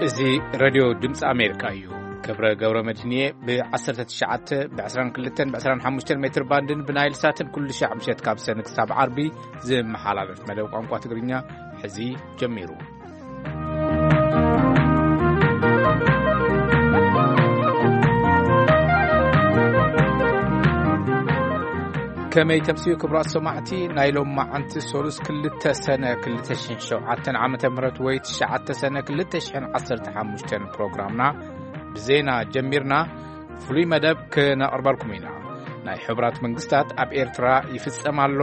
እዚ ሬድዮ ድምፂ ኣሜሪካ እዩ። ክብረ ገብረ መድህንየ ብ19፣ ብ22፣ ብ25 ሜትር ባንድን ብናይል ሳትን ኩሉ ሻዕ ምሸት ካብ ሰን ክሳብ ዓርቢ ዝመሓላለፍ መደብ ቋንቋ ትግርኛ ሕዚ ጀሚሩ። ከመይ ተምስዩ ክቡራት ሰማዕቲ፣ ናይ ሎም መዓንቲ ሶሉስ ክልተ ሰነ ክልተ ሽሕን ሸውዓተን ዓመተ ምህረት ወይ ትሽዓተ ሰነ ክልተ ሽሕን ዓሰርተ ሓሙሽተን ፕሮግራምና ብዜና ጀሚርና። ፍሉይ መደብ ክነቕርበልኩም ኢና። ናይ ሕቡራት መንግስታት ኣብ ኤርትራ ይፍጸም ኣሎ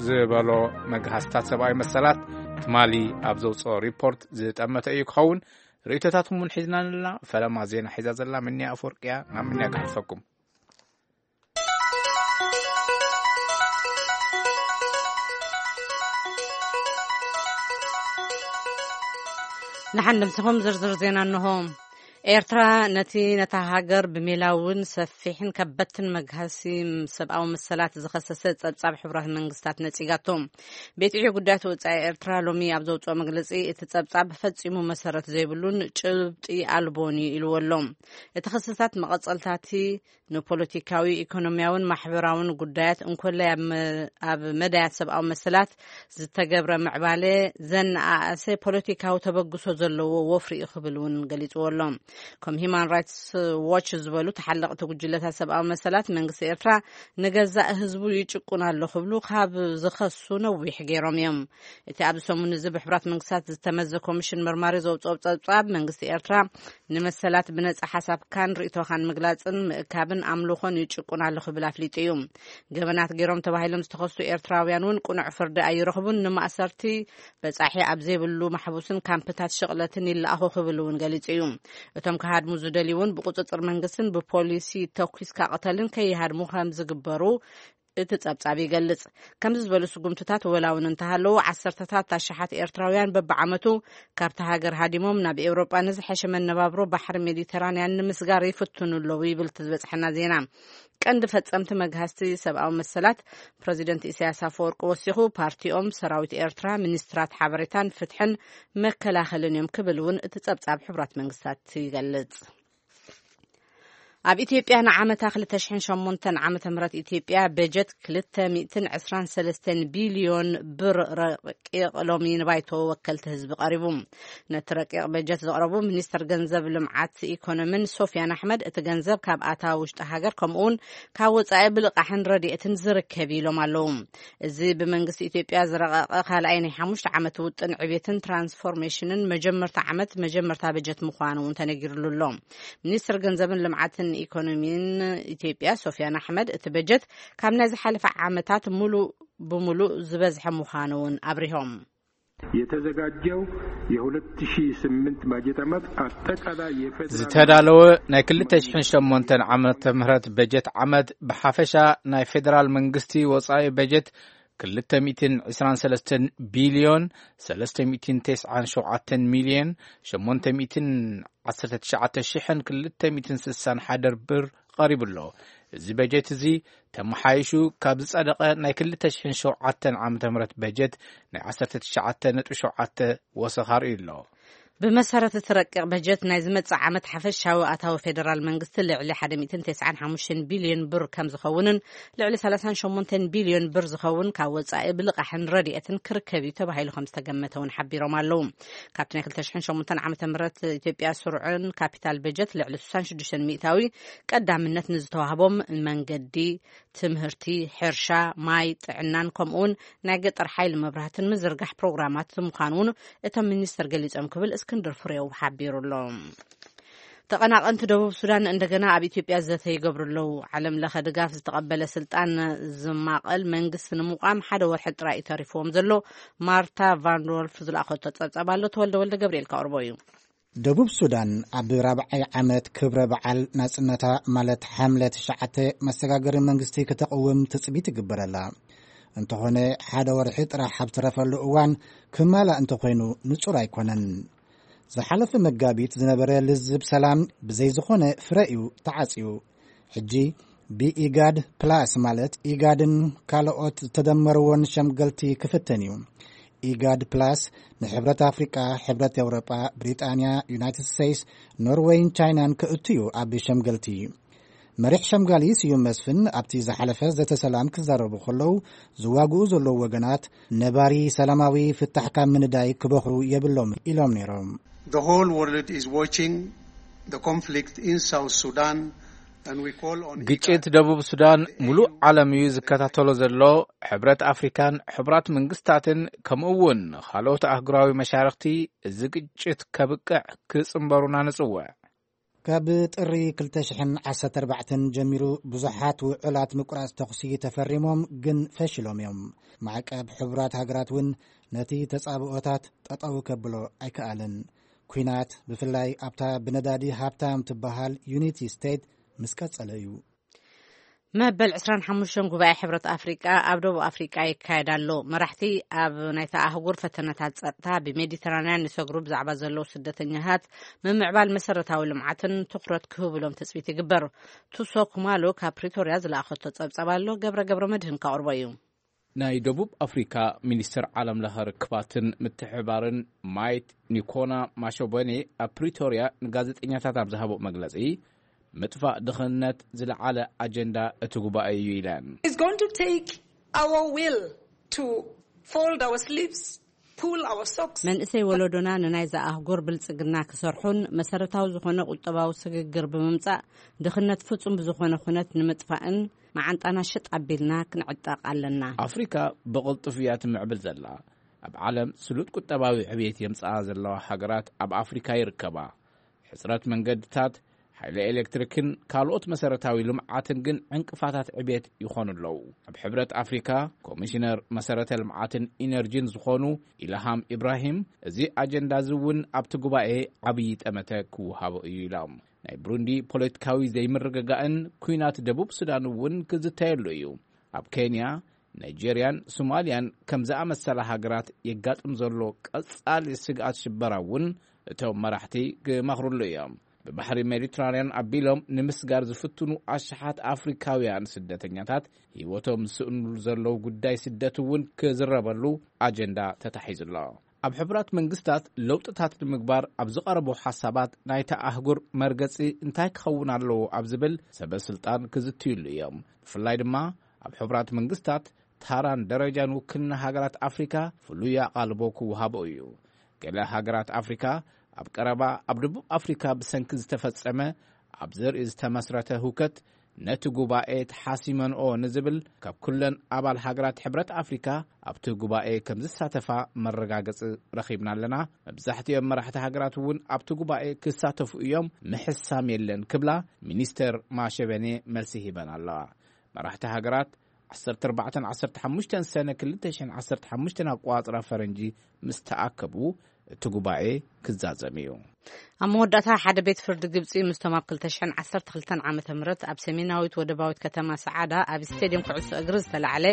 ዝበሎ መግሃስታት ሰብኣዊ መሰላት ትማሊ ኣብ ዘውፅኦ ሪፖርት ዝጠመተ እዩ ክኸውን። ርእይቶታትኩም እውን ሒዝና ኣለና። ፈለማ ዜና ሒዛ ዘላ ምንያ ኣፈወርቅያ፣ ናብ ምንያ ክሓልፈኩም። ደሓን ድምስኹም ዝርዝር ዜና እንሆ። ኤርትራ ነቲ ነታ ሃገር ብሜላ እውን ሰፊሕን ከበድትን መግሃሲ ሰብኣዊ መሰላት ዝኸሰሰ ጸብጻብ ሕቡራት መንግስታት ነጺጋቶ። ቤት ዕዮ ጉዳያት ወጻኢ ኤርትራ ሎሚ ኣብ ዘውጽኦ መግለጺ፣ እቲ ጸብጻብ ፈጺሙ መሰረት ዘይብሉን ጭብጢ ኣልቦን እዩ ኢልዎ ኣሎ። እቲ ክስታት መቐጸልታቲ ንፖለቲካዊ፣ ኢኮኖሚያውን ማሕበራውን ጉዳያት እንኮላይ ኣብ መ-፣ ኣብ መዳያት ሰብኣዊ መሰላት ዝተገብረ ምዕባለ ዘነኣኣሰ ፖለቲካዊ ተበግሶ ዘለዎ ወፍሪ እዩ ክብል እውን ገሊጽዎ ኣሎ። ከም ሂማን ራይትስ ዎች ዝበሉ ተሓለቕቲ ጉጅለታት ሰብኣዊ መሰላት፣ መንግስቲ ኤርትራ ንገዛእ ህዝቡ ይጭቁን ኣሎ ክብሉ ካብ ዝኸሱ ነዊሕ ገይሮም እዮም። እቲ ኣብዚ ሰሙን እዚ ብሕቡራት መንግስታት ዝተመዘ ኮሚሽን መርማሪ ዘውፅኦ ጸብጻብ፣ መንግስቲ ኤርትራ ንመሰላት ብነጻ ሓሳብካን ርእይቶኻን ምግላጽን ምእካብን ኣምልኾን ይጭቁን ኣሎ ክብል ኣፍሊጡ እዩ። ገበናት ገይሮም ተባሂሎም ዝተኸሱ ኤርትራውያን እውን ቅኑዕ ፍርዲ ኣይረኽቡን፣ ንማእሰርቲ በጻሒ ኣብ ዘይብሉ ማሕቡስን ካምፕታት ሽቕለትን ይለኣኹ ክብል እውን ገሊጹ እዩ። እቶም ክሃድሙ ዝደልዩ እውን ብቁጽጽር መንግስትን ብፖሊሲ ተኲስካ ቅተልን ከይሃድሙ ከም ዝግበሩ እቲ ጸብጻብ ይገልጽ። ከምዚ ዝበሉ ስጉምትታት ወላ እውን እንተሃለዉ፣ ዓሰርተታት ኣሽሓት ኤርትራውያን በብዓመቱ ካብቲ ሃገር ሃዲሞም ናብ ኤውሮጳ ንዝሐሸ መነባብሮ ባሕሪ ሜዲተራንያን ንምስጋር ይፍትኑ ኣለዉ ይብል እቲ ዝበጽሐና ዜና። ቀንዲ ፈጸምቲ መግሃስቲ ሰብኣዊ መሰላት ፕረዚደንት ኢሳያስ ኣፈወርቂ ወሲኹ፣ ፓርቲኦም፣ ሰራዊት ኤርትራ፣ ሚኒስትራት ሓበሬታን ፍትሕን መከላኸልን እዮም ክብል እውን እቲ ጸብጻብ ሕቡራት መንግስታት ይገልጽ። ኣብ ኢትዮጵያ ንዓመታ ክልተ ሽሕን ሸሞንተን ዓመተ ምህረት ኢትዮጵያ በጀት ክልተ ሚእትን ዕስራን ሰለስተን ቢልዮን ብር ረቂቕ ሎሚ ንባይቶ ወከልቲ ህዝቢ ቀሪቡ። ነቲ ረቂቕ በጀት ዘቕረቡ ሚኒስትር ገንዘብ፣ ልምዓት ኢኮኖሚን ሶፊያን ኣሕመድ፣ እቲ ገንዘብ ካብ ኣታዊ ውሽጢ ሃገር ከምኡውን ካብ ወጻኢ ብልቓሕን ረድኤትን ዝርከብ ኢሎም ኣለዉ። እዚ ብመንግስቲ ኢትዮጵያ ዝረቐቐ ካልኣይ ናይ ሓሙሽተ ዓመት ውጥን ዕቤትን ትራንስፎርሜሽንን መጀመርታ ዓመት መጀመርታ በጀት ምዃኑ እውን ተነጊሩሉ ኣሎ። ሚኒስትር ገንዘብን ልምዓትን ኢኮኖሚን ኢትዮጵያ ሶፊያን ኣሕመድ፣ እቲ በጀት ካብ ናይ ዝሓለፈ ዓመታት ሙሉእ ብሙሉእ ዝበዝሐ ምዃኑ እውን ኣብሪሆም። የተዘጋጀው የ2008 ባጀት ዓመት አጠቃላይ የፌዴራል ዝተዳለወ ናይ ክልተ ሽሕን ሸሞንተን ዓመተ ምህረት በጀት ዓመት ብሓፈሻ ናይ ፌዴራል መንግስቲ ወጻኢ በጀት ክልተ ሚእትን ዕስራን ሰለስተን ቢልዮን ሰለስተ ሚእትን ተስዓን ሸውዓተን ሚልዮን ሸሞንተ ሚእትን ዓሰርተ ትሽዓተ ሽሕን ክልተ ሚእትን ስሳን ሓደ ብር ቀሪቡ ኣሎ። እዚ በጀት እዚ ተመሓይሹ ካብ ዝጸደቐ ናይ ክልተ ሽሕን ሸውዓተን ዓመተ ምህረት በጀት ናይ ዓሰርተ ትሽዓተ ነጥቢ ሸውዓተ ወሰኽ ኣርእዩ ኣሎ። ብመሰረት እቲ ረቂቕ በጀት፣ ናይ ዝመጽእ ዓመት ሓፈሻዊ ኣታዊ ፌደራል መንግስቲ ልዕሊ ሓደ ሚእትን ተስዓን ሓሙሽተን ቢልዮን ብር ከም ዝኸውንን፣ ልዕሊ ሰላሳን ሸሞንተን ቢልዮን ብር ዝኸውን ካብ ወጻኢ ብልቓሕን ረድኤትን ክርከብ እዩ ተባሂሉ ከም ዝተገመተ እውን ሓቢሮም ኣለዉ። ካብቲ ናይ ክልተ ሽሕን ሸሞንተን ዓመተ ምህረት ኢትዮጵያ ስሩዕን ካፒታል በጀት ልዕሊ ስሳን ሽዱሽተን ሚእታዊ ቀዳምነት ንዝተዋህቦም መንገዲ፣ ትምህርቲ፣ ሕርሻ፣ ማይ፣ ጥዕናን ከምኡውን ናይ ገጠር ሓይሊ መብራህትን ምዝርጋሕ ፕሮግራማት ምዃኑ እውን እቶም ሚኒስትር ገሊጾም ክብል እስክንድር ፍሬው ሓቢሩ ኣሎ። ተቐናቐንቲ ደቡብ ሱዳን እንደገና ኣብ ኢትዮጵያ ዘተ ይገብሩ ኣለዉ። ዓለም ለኸ ድጋፍ ዝተቐበለ ስልጣን ዝማቐል መንግስቲ ንምቋም ሓደ ወርሒ ጥራይ እዩ ተሪፍዎም ዘሎ። ማርታ ቫንዶልፍ ዝለኣኸቶ ጸብጻብ ኣሎ፣ ተወልደ ወልደ ገብርኤል ከቕርቦ እዩ። ደቡብ ሱዳን ኣብ ራብዓይ ዓመት ክብረ በዓል ናጽነታ፣ ማለት ሓምለ ትሽዓተ፣ መሰጋገሪ መንግስቲ ክተቕውም ትጽቢት ይግበረላ። እንተኾነ፣ ሓደ ወርሒ ጥራሕ ኣብ ተረፈሉ እዋን ክማላእ እንተኾይኑ ንጹር ኣይኮነን። ዝሓለፈ መጋቢት ዝነበረ ልዝብ ሰላም ብዘይ ዝኾነ ፍረ እዩ ተዓጽዩ። ሕጂ ብኢጋድ ፕላስ፣ ማለት ኢጋድን ካልኦት ዝተደመርዎን ሸምገልቲ ክፍተን እዩ። ኢጋድ ፕላስ ንሕብረት ኣፍሪቃ፣ ሕብረት ኤውሮጳ፣ ብሪጣንያ፣ ዩናይትድ ስቴትስ፣ ኖርወይን ቻይናን ክእቱ እዩ ኣብ ሸምገልቲ። መሪሕ ሸምጋሊ ስዩም መስፍን ኣብቲ ዝሓለፈ ዘተ ሰላም ክዛረቡ ከለዉ፣ ዝዋግኡ ዘለዉ ወገናት ነባሪ ሰላማዊ ፍታሕ ካብ ምንዳይ ክበኽሩ የብሎም ኢሎም ነይሮም። The whole world is watching the conflict in South Sudan, and we call on ግጭት ደቡብ ሱዳን ሙሉእ ዓለም እዩ ዝከታተሎ ዘሎ። ሕብረት ኣፍሪካን ሕቡራት መንግስታትን ከምኡ እውን ካልኦት ኣህጉራዊ መሻርክቲ እዚ ግጭት ከብቅዕ ክጽንበሩና ንጽውዕ። ካብ ጥሪ ክልተ ሽሕን ዓሰርተ ኣርባዕተን ጀሚሩ ብዙሓት ውዕላት ምቁራጽ ተኹሲ ተፈሪሞም ግን ፈሽሎም እዮም። ማዕቀብ ሕቡራት ሃገራት እውን ነቲ ተጻብኦታት ጠጠው ከብሎ ኣይከኣለን። ኲናት ብፍላይ ኣብታ ብነዳዲ ሃብታም ትበሃል ዩኒቲ ስቴት ምስ ቀጸለ እዩ። መበል ዕስራን ሓሙሽተን ጉባኤ ሕብረት ኣፍሪቃ ኣብ ደቡብ ኣፍሪቃ ይካየድ ኣሎ። መራሕቲ ኣብ ናይታ ኣህጉር ፈተነታት ጸጥታ ብሜዲተራንያን ይሰግሩ ብዛዕባ ዘለዉ ስደተኛታት፣ ምምዕባል መሰረታዊ ልምዓትን ትኹረት ክህብሎም ትጽቢት ይግበር። ቱሶ ኩማሎ ካብ ፕሪቶርያ ዝለኣኸቶ ጸብጻብ ኣሎ። ገብረ ገብረ መድህን ከቕርቦ እዩ። ናይ ደቡብ ኣፍሪካ ሚኒስትር ዓለም ለኸ ርክባትን ምትሕብባርን ማይት ኒኮና ማሾበኔ ኣብ ፕሪቶርያ ንጋዜጠኛታት ኣብ ዝሃቦ መግለጺ፣ ምጥፋእ ድኽነት ዝለዓለ ኣጀንዳ እቲ ጉባኤ እዩ ኢለን። It's going to take our will to fold our sleeves, pull our socks. መንእሰይ ወለዶና ንናይዛ ኣህጉር ብልጽግና ክሰርሑን መሰረታዊ ዝኾነ ቁጠባዊ ስግግር ብምምጻእ ድኽነት ፍጹም ብዝኾነ ኩነት ንምጥፋእን መዓንጣና ሽጥ ኣቢልና ክንዕጠቕ ኣለና። ኣፍሪካ ብቕልጡፍ እያ ትምዕብል ዘላ። ኣብ ዓለም ስሉጥ ቁጠባዊ ዕብየት የምጽኣ ዘለዋ ሃገራት ኣብ ኣፍሪካ ይርከባ። ሕጽረት መንገድታት፣ ሓይሊ ኤሌክትሪክን ካልኦት መሰረታዊ ልምዓትን ግን ዕንቅፋታት ዕብየት ይኾኑ ኣለዉ። ኣብ ሕብረት ኣፍሪካ ኮሚሽነር መሰረተ ልምዓትን ኢነርጂን ዝኾኑ ኢልሃም ኢብራሂም፣ እዚ ኣጀንዳ እዚ እውን ኣብቲ ጉባኤ ዓብዪ ጠመተ ክወሃቦ እዩ ኢሎም። ናይ ብሩንዲ ፖለቲካዊ ዘይምርግጋእን ኲናት ደቡብ ሱዳን እውን ክዝተየሉ እዩ። ኣብ ኬንያ፣ ናይጄርያን ሶማልያን ከም ዝኣመሰላ ሃገራት የጋጥም ዘሎ ቀጻሊ ስግኣት ሽበራ እውን እቶም መራሕቲ ክመኽሩሉ እዮም። ብባሕሪ ሜዲትራንያን ኣቢሎም ንምስጋር ዝፍትኑ ኣሽሓት ኣፍሪካውያን ስደተኛታት ህይወቶም ዝስእንሉ ዘለዉ ጉዳይ ስደት እውን ክዝረበሉ ኣጀንዳ ተታሒዙ ኣሎ። ኣብ ሕቡራት መንግስታት ለውጥታት ንምግባር ኣብ ዝቐረቡ ሓሳባት ናይታ ኣህጉር መርገጺ እንታይ ክኸውን ኣለዎ ኣብ ዝብል ሰበ ስልጣን ክዝትዩሉ እዮም። ብፍላይ ድማ ኣብ ሕቡራት መንግስታት ታራን ደረጃን ውክልና ሃገራት ኣፍሪካ ፍሉይ ኣቓልቦ ክወሃቦ እዩ። ገለ ሃገራት ኣፍሪካ ኣብ ቀረባ ኣብ ደቡብ ኣፍሪካ ብሰንኪ ዝተፈጸመ ኣብ ዘርኢ ዝተመስረተ ህውከት ነቲ ጉባኤ ተሓሲመንኦ ንዝብል ካብ ኩለን ኣባል ሃገራት ሕብረት ኣፍሪካ ኣብቲ ጉባኤ ከም ዝሳተፋ መረጋገጺ ረኺብና ኣለና። መብዛሕትኦም መራሕቲ ሃገራት እውን ኣብቲ ጉባኤ ክሳተፉ እዮም፣ ምሕሳም የለን ክብላ ሚኒስተር ማሸበኔ መልሲ ሂበን ኣለዋ። መራሕቲ ሃገራት ዓሰርተ ኣርባዕተን ዓሰርተ ሓሙሽተን ሰነ ክልተ ሽሕን ዓሰርተ ሓሙሽተን ኣቋጽራ ፈረንጂ ምስ ተኣከቡ እቲ ጉባኤ ክዛዘም እዩ። ኣብ መወዳእታ ሓደ ቤት ፍርዲ ግብጺ ምስቶም ኣብ ክልተ ሽሕን ዓሰርተ ክልተን ዓመተ ምህረት ኣብ ሰሜናዊት ወደባዊት ከተማ ሰዓዳ ኣብ ስቴድየም ኩዕሶ እግሪ ዝተላዕለ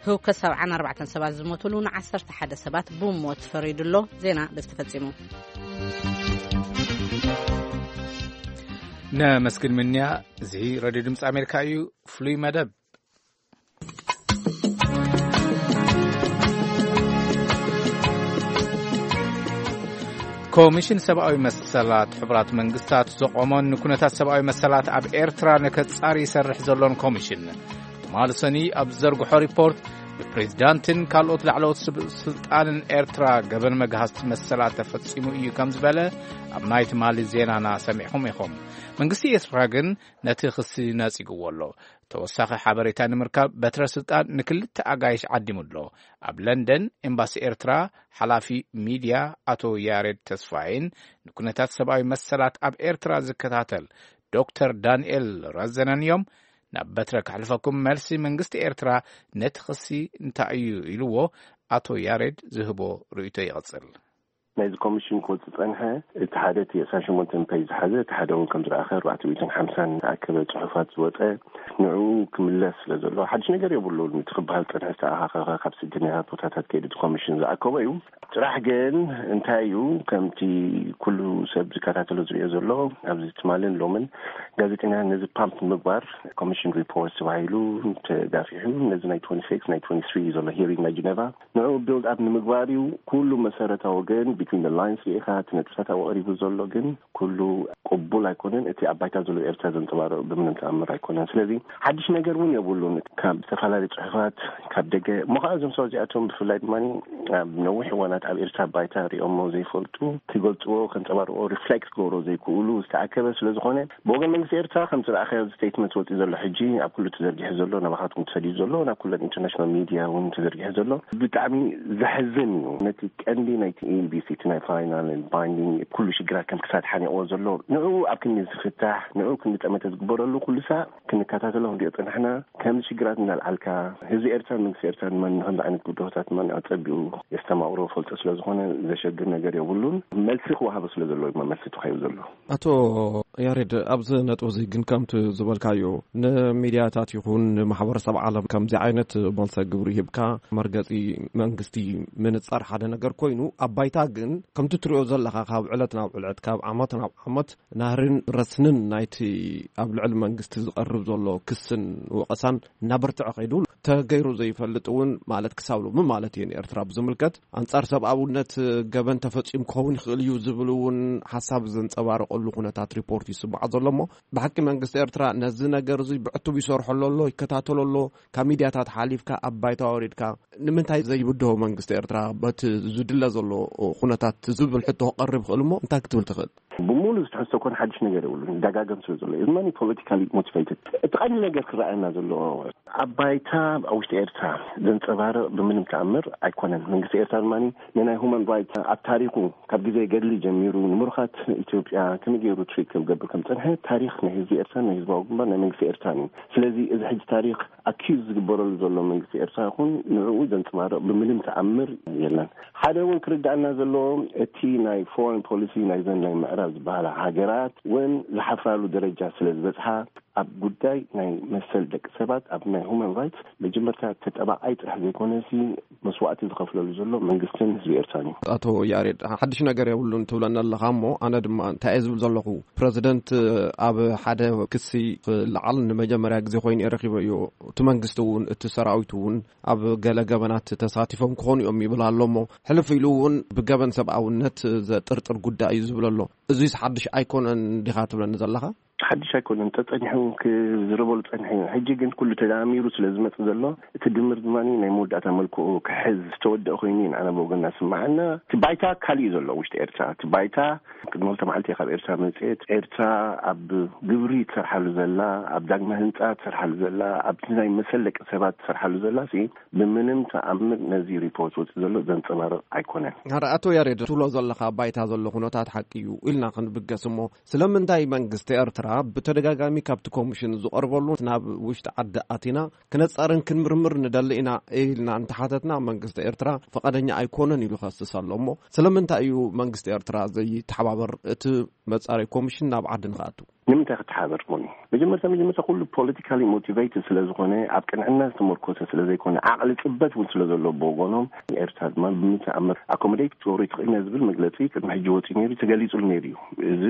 ህውከት ሰብዓን ኣርባዕተን ሰባት ዝሞቱሉ ንዓሰርተ ሓደ ሰባት ብሞት ፈሪዱ ኣሎ። ዜና በዚ ተፈጺሙ። ነመስግን ምንያ። እዚ ሬድዮ ድምፂ ኣሜሪካ እዩ። ፍሉይ መደብ። ኮሚሽን ሰብኣዊ መሰላት ሕቡራት መንግስታት ዘቖሞን ንኩነታት ሰብኣዊ መሰላት ኣብ ኤርትራ ንከጻሪ ይሰርሕ ዘሎን ኮሚሽን፣ ትማሊ ሰኑይ ኣብ ዝዘርግሖ ሪፖርት፣ ብፕሬዚዳንትን ካልኦት ላዕለዎት ስብ-፣ ስልጣንን ኤርትራ ገበን መግሃስቲ መሰላት ተፈጺሙ እዩ ከም ዝበለ ኣብ ናይ ትማሊ ዜናና ሰሚዕኹም ኢኹም። መንግስቲ ኤርትራ ግን ነቲ ክሲ ነጺግዎ ኣሎ። ተወሳኺ ሓበሬታ ንምርካብ በትረ ስልጣን ንክልተ ኣጋይሽ ዓዲሙ ኣሎ። ኣብ ለንደን ኤምባሲ ኤርትራ ሓላፊ ሚድያ ኣቶ ያሬድ ተስፋይን ንኩነታት ሰብኣዊ መሰላት ኣብ ኤርትራ ዝከታተል ዶክተር ዳንኤል ረዘነን እዮም። ናብ በትረ ከሕልፈኩም፣ መልሲ መንግስቲ ኤርትራ ነቲ ክሲ እንታይ እዩ ኢልዎ፣ ኣቶ ያሬድ ዝህቦ ርእይቶ ይቕጽል። ናይዚ ኮሚሽን ክወፅእ ዝፀንሐ እቲ ሓደ እቲ ኣስራ ሸሞንተ ፔጅ ዝሓዘ፣ እቲ ሓደ እውን ከም ዝረኣኸ ኣርባዕተ ሚእትን ሓምሳን ዝኣከበ ፅሑፋት ዝወፀ፣ ንዕኡ ክምለስ ስለ ዘሎ ሓድሽ ነገር የብሉን። እቲ ክበሃል ዝፀንሐ ዝተኣኻኸኸ ካብ ስድነታት ቦታታት ከይዱ እቲ ኮሚሽን ዝኣከቦ እዩ። ጥራሕ ግን እንታይ እዩ፣ ከምቲ ኩሉ ሰብ ዝከታተሎ ዝሪኦ ዘሎ፣ ኣብዚ ትማልን ሎምን ጋዜጠኛ ነዚ ፓምፕ ንምግባር ኮሚሽን ሪፖርት ተባሂሉ ተጋፊሑ፣ ነዚ ናይ ትወንቲ ሲክስ ናይ ትወንቲ ስሪ ዘሎ ሂሪንግ ናይ ጀነቫ ንዕኡ ቢልድ ኣፕ ንምግባር እዩ። ኩሉ መሰረታዊ ግን ቢትዊን ላይንስ ሪኢኻ እቲ ነጥብታት ኣብኡ ቀሪቡ ዘሎ ግን ኩሉ ቅቡል ኣይኮነን። እቲ ኣብ ባይታ ዘሎ ኤርትራ ዘንጸባርቕ ብምንም ተኣምር ኣይኮነን። ስለዚ ሓድሽ ነገር እውን የብሉን። ካብ ዝተፈላለዩ ጽሑፋት ካብ ደገ እሞ ከዓ እዞም ሰባት እዚኣቶም ብፍላይ ድማ ኣብ ነዊሕ እዋናት ኣብ ኤርትራ ባይታ ሪኦሞ ዘይፈልጡ፣ ክገልጽዎ፣ ከንጸባርቕዎ፣ ሪፍሌክት ክገብሮ ዘይክእሉ ዝተኣከበ ስለ ዝኾነ፣ ብወገን መንግስቲ ኤርትራ ከምቲ ረኣኻዮ ኣብዚ ስቴትመንት ወፂኡ ዘሎ ሕጂ ኣብ ኩሉ ተዘርጊሑ ዘሎ፣ ናባኻትኩም ተሰዲዱ ዘሎ፣ ናብ ኩለን ኢንተርናሽናል ሚድያ እውን ተዘርጊሑ ዘሎ ብጣዕሚ ዘሕዝን እዩ። ነቲ ቀንዲ ናይቲ ኤምቢሲ እቲ ናይ ፋይናል ባይንዲንግ ኩሉ ሽግራት ከም ክሳድ ሓኒቕዎ ዘሎ ንዕኡ ኣብ ክንዲ ዝፍታሕ፣ ንዕኡ ክንዲ ጠመተ ዝግበረሉ ኩሉ ሳዕ ክንከታተሎ ክንሪኦ ጸናሕና። ከምዚ ሽግራት እናልዓልካ ህዝቢ ኤርትራን መንግስቲ ኤርትራን ድማ ንከምዚ ዓይነት ጉዳዮታት ድማ ኣጸቢቑ የስተማቕሮ ፈልጦ ስለ ዝኾነ ዘሸግር ነገር የብሉን። መልሲ ክወሃቦ ስለ ዘለዎ እዩ መልሲ ተኻይቡ ዘሎ። ኣቶ ያሬድ፣ ኣብዚ ነጥቢ እዚ ግን ከምቲ ዝበልካዮ ንሚድያታት ይኹን ንማሕበረሰብ ዓለም ከምዚ ዓይነት መልሰ ግብሪ ሂብካ መርገጺ መንግስቲ ምንጻር ሓደ ነገር ኮይኑ፣ ኣብ ባይታ ግን ከምቲ ትሪኦ ዘለኻ ካብ ዕለት ናብ ዕለት ካብ ዓመት ናብ ዓመት ናህርን ረስንን ናይቲ ኣብ ልዕሊ መንግስቲ ዝቐርብ ዘሎ ክስን ወቐሳን እናበርትዐ ከይዱ ተገይሩ ዘይፈልጥ እውን ማለት ክሳብ ሎሚ ማለት እዩ ንኤርትራ ብዝምልከት ኣንጻር ሰብኣውነት ገበን ተፈጺሙ ክኸውን ይኽእል እዩ ዝብል እውን ሓሳብ ዘንጸባረቐሉ ኩነታት ሪፖርት ይስማዕ ዘሎ እሞ ብሓቂ መንግስቲ ኤርትራ ነዚ ነገር እዚ ብዕቱብ ይሰርሖ ኣሎ ይከታተሎ ኣሎ ካብ ሚድያታት ሓሊፍካ ኣብ ባይታ ወሪድካ ንምንታይ ዘይብድሆ መንግስቲ ኤርትራ በቲ ዝድለ ዘሎ ኩነታት ዝብል ሕቶ ክቐርብ ይኽእል እሞ እንታይ ክትብል ትኽእል? ብምሉእ ዝትሕዝቶ ኮነ ሓድሽ ነገር የብሉን። ይደጋገም ስለ ዘሎ እዩ። እዚ ማኒ ፖለቲካሊ ሞቲቬትድ። እቲ ቀንዲ ነገር ክረኣየና ዘለዎ ኣብ ባይታ ኣብ ውሽጢ ኤርትራ ዘንጸባርቕ ብምንም ተኣምር ኣይኮነን። መንግስቲ ኤርትራ ድማ ንናይ ሁማን ራይት ኣብ ታሪኹ ካብ ግዜ ገድሊ ጀሚሩ ንምሩኻት ኢትዮጵያ ከመይ ገይሩ ትሪት ከም ገብር ከም ጸንሐ ታሪኽ ናይ ህዝቢ ኤርትራ ናይ ህዝባዊ ግንባር ናይ መንግስቲ ኤርትራ እዩ። ስለዚ እዚ ሕጂ ታሪኽ ኣኪዝ ዝግበረሉ ዘሎ መንግስቲ ኤርትራ ይኹን ንዕኡ ዘንጸባርቕ ብምንም ተኣምር የለን። ሓደ እውን ክርዳእና ዘለዎ እቲ ናይ ፎረን ፖሊሲ ናይዘን ናይ ምዕራብ ዝበሃላ ሃገራት እውን ዝሓፍራሉ ደረጃ ስለ ዝበጽሓ ኣብ ጉዳይ ናይ መሰል ደቂ ሰባት ኣብ ናይ ሁማን ራይትስ መጀመርታ ተጠባቓይ ጥራሕ ዘይኮነሲ መስዋእቲ ዝኸፍለሉ ዘሎ መንግስትን ህዝቢ ኤርትራን እዩ። ኣቶ ያሬድ፣ ሓድሽ ነገር የብሉን ትብለና ኣለኻ እሞ ኣነ ድማ እንታይ እየ ዝብል ዘለኹ፣ ፕረዚደንት ኣብ ሓደ ክሲ ክለዓል ንመጀመርያ ግዜ ኮይኑ እየ ረኺበዮ። እቲ መንግስቲ እውን እቲ ሰራዊት እውን ኣብ ገለ ገበናት ተሳቲፎም ክኾኑ እዮም ይብል ኣሎ እሞ ሕልፍ ኢሉ እውን ብገበን ሰብኣውነት ዘጥርጥር ጉዳይ እዩ ዝብል ኣሎ። እዙይስ ሓድሽ ኣይኮነን ዲኻ ትብለኒ ዘለኻ? ሓድሽ ኣይኮነን፣ ተጸኒሑ ክዝረበሉ ጸኒሑ እዩ። ሕጂ ግን ኩሉ ተዳሚሩ ስለ ዝመጽእ ዘሎ እቲ ድምር ድማ ናይ መወዳእታ መልክኡ ክሕዝ ዝተወደአ ኮይኑ እዩ ንዓና ብወገንና ዝስምዓና። እቲ ባይታ ካሊእ እዩ ዘሎ ውሽጢ ኤርትራ። እቲ ባይታ ቅድሚ ክልተ መዓልቲ እየ ካብ ኤርትራ መጽኤት። ኤርትራ ኣብ ግብሪ ትሰርሓሉ ዘላ፣ ኣብ ዳግመ ህንጻ ትሰርሓሉ ዘላ፣ ኣብቲ ናይ መሰል ደቂ ሰባት ትሰርሓሉ ዘላ ሲ ብምንም ተኣምር ነዚ ሪፖርት ወፂ ዘሎ ዘንፀባርቕ ኣይኮነን። ኣረ ኣቶ ያሬድ ትብሎ ዘለኻ ባይታ ዘሎ ኩነታት ሓቂ እዩ ኢልና ክንብገስ እሞ ስለምንታይ መንግስቲ ኤርትራ ብተደጋጋሚ ካብቲ ኮሚሽን ዝቐርበሉ ናብ ውሽጢ ዓዲ ኣቲና ክነፃርን ክንምርምር ንደሊ ኢና ኢልና እንተሓተትና መንግስቲ ኤርትራ ፈቓደኛ ኣይኮነን ኢሉ ከስስ ኣሎ እሞ ስለምንታይ እዩ መንግስቲ ኤርትራ ዘይተሓባበር እቲ መፃረይ ኮሚሽን ናብ ዓዲ ንክኣቱ? ንምንታይ ክትሓበር ኮኒ? መጀመርታ መጀመርታ ኩሉ ፖለቲካሊ ሞቲቬትድ ስለ ዝኾነ ኣብ ቅንዕና ዝተመርኮሰ ስለ ዘይኮነ ዓቕሊ ፅበት እውን ስለ ዘለዎ ብወገኖም ኤርትራ ድማ ብምትኣምር ኣኮሞዴት ክገብሩ ይትኽእልና ዝብል መግለፂ ቅድሚ ሕጂ ወፂኡ ነይሩ ተገሊፁሉ ነይሩ እዩ። እዚ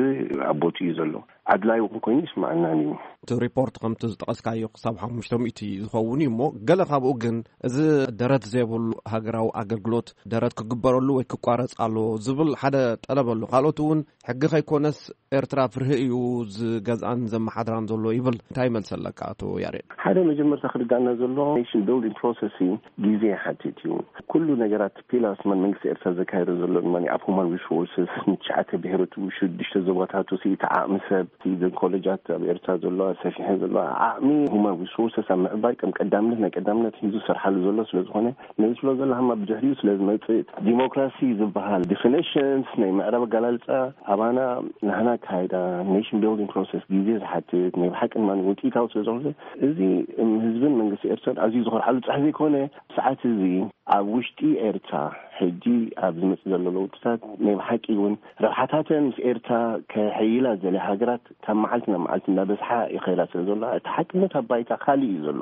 ኣብ ቦትኡ እዩ ዘሎ። ኣድላይ እውን ኮይኑ ይስማዓናን እዩ። እቲ ሪፖርት ከምቲ ዝጠቐስካዮ ክሳብ ሓሙሽተ ሚእቲ ዝኸውን እዩ እሞ ገለ ካብኡ ግን እዚ ደረት ዘይብሉ ሃገራዊ ኣገልግሎት ደረት ክግበረሉ ወይ ክቋረፅ ኣለዎ ዝብል ሓደ ጠለብ ኣሎ። ካልኦት እውን ሕጊ ከይኮነስ ኤርትራ ፍርሂ እዩ ዝገዝኣን ዘመሓድራን ዘሎ ይብል። እንታይ መልሲ ኣለካ ኣቶ ያሬድ? ሓደ መጀመርታ ክርዳእና ዘሎ ኔሽን ቢልዲንግ ፕሮሰስ እዩ፣ ግዜ ይሓትት እዩ። ኩሉ ነገራት ፒላርስ መን መንግስቲ ኤርትራ ዘካየዶ ዘሎ ድማ ኣብ ሁማን ሪሶርስስ ንትሽዓተ ብሄራት ሽዱሽተ ዞባታት ውፅኢት ዓቕሚ ሰብ እዘን ኮሌጃት ኣብ ኤርትራ ዘለዋ ሰፊሐ ዘለዋ ዓቕሚ ሁማን ሪሶርስስ ኣብ ምዕባይ ከም ቀዳምነት ናይ ቀዳምነት ሂዙ ዝሰርሓሉ ዘሎ ስለ ዝኾነ ነዚ ስለ ዘሎ ሃማ ብድሕሪኡ ስለ ዝመፅእ ዲሞክራሲ ዝበሃል ዲፊኒሽንስ ናይ ምዕራብ ኣገላልፃ ኣባና ናህና ኣካይዳ ኔሽን ቢልዲንግ ፕሮሰስ ግዜ ዝሓትት ናይ ብሓቂ ድማ ውፅኢታዊ ስለ ዝኾነ እዚ ህዝብን መንግስቲ ኤርትራን ኣዝዩ ዝኾርዓሉ ጥራሕ ዘይኮነ ሰዓት እዚ ኣብ ውሽጢ ኤርትራ ሕጂ ኣብ ዝመጽእ ዘሎ ለውጥታት ናይ ብሓቂ እውን ረብሓታተን ምስ ኤርትራ ከሕይላ ዝደልያ ሃገራት ካብ መዓልቲ ናብ መዓልቲ እናበዝሓ ይኸይዳ ስለ ዘሎ፣ እቲ ሓቅነት ኣብ ባይታ ካልእ እዩ ዘሎ።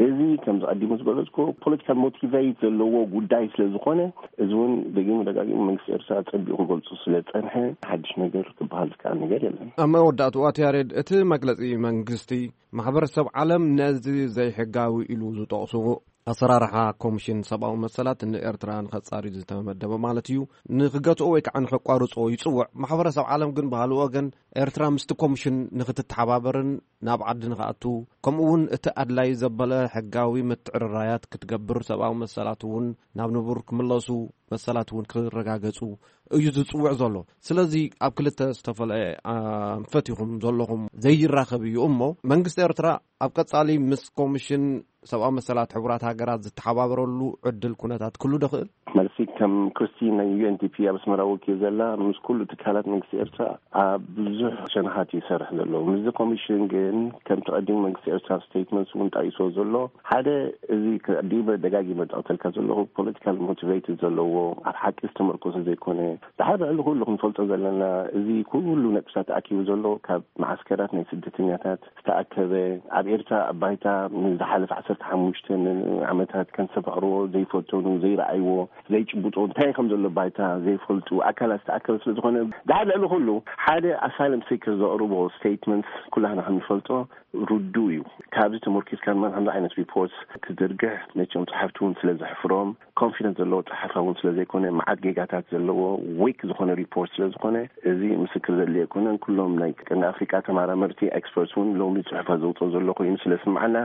እዚ ከምዚ ቀዲሙ ዝገለጽኩ ፖለቲካል ሞቲቬት ዘለዎ ጉዳይ ስለ ዝኾነ፣ እዚ እውን ደጊሙ ደጋጊሙ መንግስቲ ኤርትራ ጸቢቑ ክገልጹ ስለ ዝጸንሐ ሓድሽ ነገር ክበሃል ዝከኣል ነገር የለን። ኣብ መወዳእትኡ ኣቶ ያሬድ፣ እቲ መግለጺ መንግስቲ፣ ማሕበረሰብ ዓለም ነዚ ዘይሕጋዊ ኢሉ ዝጠቕሱ ኣሰራርሓ ኮሚሽን ሰብኣዊ መሰላት ንኤርትራ ንኸጻሪ ዝተመደበ ማለት እዩ፣ ንኽገትኦ ወይ ከዓ ንኸቋርጾ ይጽውዕ። ማሕበረሰብ ዓለም ግን ባህሊ ወገን ኤርትራ ምስቲ ኮሚሽን ንኽትተሓባበርን ናብ ዓዲ ንኽኣቱ፣ ከምኡ እውን እቲ ኣድላይ ዘበለ ሕጋዊ ምትዕርራያት ክትገብር፣ ሰብኣዊ መሰላት እውን ናብ ንቡር ክምለሱ፣ መሰላት እውን ክረጋገጹ እዩ ዝጽውዕ ዘሎ። ስለዚ ኣብ ክልተ ዝተፈለየ ኣንፈት ኢኹም ዘለኹም፣ ዘይራኸብ እዩ። እሞ መንግስቲ ኤርትራ ኣብ ቀጻሊ ምስ ኮሚሽን ሰብኣዊ መሰላት ሕቡራት ሃገራት ዝተሓባበረሉ ዕድል ኩነታት ክሉ ዶ ክእል? መልሲ፣ ከም ክርስቲ ናይ ዩ ኤን ዲ ፒ ኣብ ኣስመራ ወኪል ዘላ፣ ምስ ኩሉ ትካላት መንግስቲ ኤርትራ ኣብ ብዙሕ ሸነኻት ይሰርሕ ዘሎ። ምስዚ ኮሚሽን ግን ከምቲ ቀዲሙ መንግስቲ ኤርትራ ኣብ ስቴትመንትስ እውን ጠቂሶ ዘሎ፣ ሓደ፣ እዚ ቀዲመ ደጋጊመ ጠቕሰልካ ዘለኹ ፖለቲካል ሞቲቬትድ ዘለዎ ኣብ ሓቂ ዝተመርኮሰ ዘይኮነ፣ ድሓር ልዕሊ ኩሉ ክንፈልጦ ዘለና፣ እዚ ኩሉ ነጥብታት ተኣኪቡ ዘሎ ካብ መዓስከራት ናይ ስደተኛታት ዝተኣከበ፣ ኣብ ኤርትራ ኣብ ባይታ ንዝሓለፈ ዓሰርተ ሓሙሽተ ዓመታት ከም ሰብ ኣቕርቦ ዘይፈተኑ፣ ዘይረኣይዎ፣ ዘይጭብጦ፣ እንታይ ከም ዘሎ ባይታ ዘይፈልጡ ኣካላት ዝተኣከበ ስለ ዝኾነ፣ ድሓር ልዕሊ ኩሉ ሓደ ኣሳይለም ሲከር ዘቕርቦ ስቴትመንትስ ኩላህና ከም ንፈልጦ ርዱእ እዩ። ካብዚ ተመርኪዝካ ድማ ከምዚ ዓይነት ሪፖርት ክዝርግሕ መቸም ጸሓፍቲ እውን ስለ ዘሕፍሮም፣ ኮንፊደንስ ዘለዎ ጸሓፋ እውን ስለ ዘይኮነ፣ መዓት ጌጋታት ዘለዎ ዊክ ዝኾነ ሪፖርት ስለ ዝኾነ፣ እዚ ምስክር ዘድልዮ ኣይኮነን። ኩሎም ናይ ቀርኒ ኣፍሪቃ ተመራመርቲ፣ ኤክስፐርትስ እውን ሎሚ ጽሑፋት ዘውጽኦ ዘሎ ኮይኑ ስለ ስምዓና፣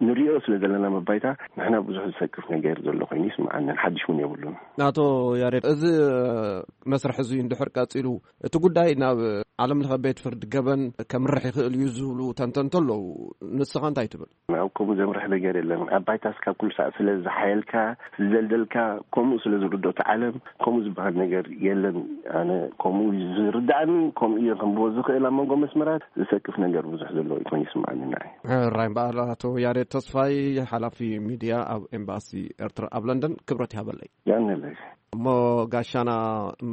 ንሪኦ ስለ ዘለና መባይታ፣ ንሕና ብዙሕ ዝሰክፍ ነገር ዘሎ ኮይኑ ይስምዓንን ሓድሽ እውን የብሉን። ኣቶ ያሬድ፣ እዚ መስርሕ እዚ እንድሕር ቀጺሉ፣ እቲ ጉዳይ ናብ ዓለም ለኸ ቤት ፍርዲ ገበን ከምርሕ ይኽእል እዩ ዝብሉ ተንተንቶ ኣለዉ። ንስኻ እንታይ ትብል? ናብ ከምኡ ዘምርሕ ነገር የለን። ኣብ ባይታስ ካብ ኩሉ ሳዕ ስለ ዝሓየልካ፣ ዝደልደልካ፣ ከምኡ ስለ ዝርዶ እቲ ዓለም፣ ከምኡ ዝበሃል ነገር የለን። ኣነ ከምኡ እዩ ዝርዳእኒ፣ ከምኡ እየ ከንብቦ ዝኽእል። ኣብ መንጎ መስመራት ዝሰክፍ ነገር ብዙሕ ዘለዎ ይኮን ይስምዓኒ ንዓይ። ሕራይ እምበኣር፣ ኣቶ ያሬድ ተስፋይ፣ ሓላፊ ሚድያ ኣብ ኤምባሲ ኤርትራ ኣብ ለንደን፣ ክብረት ይሃበለይ። ያንለይ። እሞ ጋሻና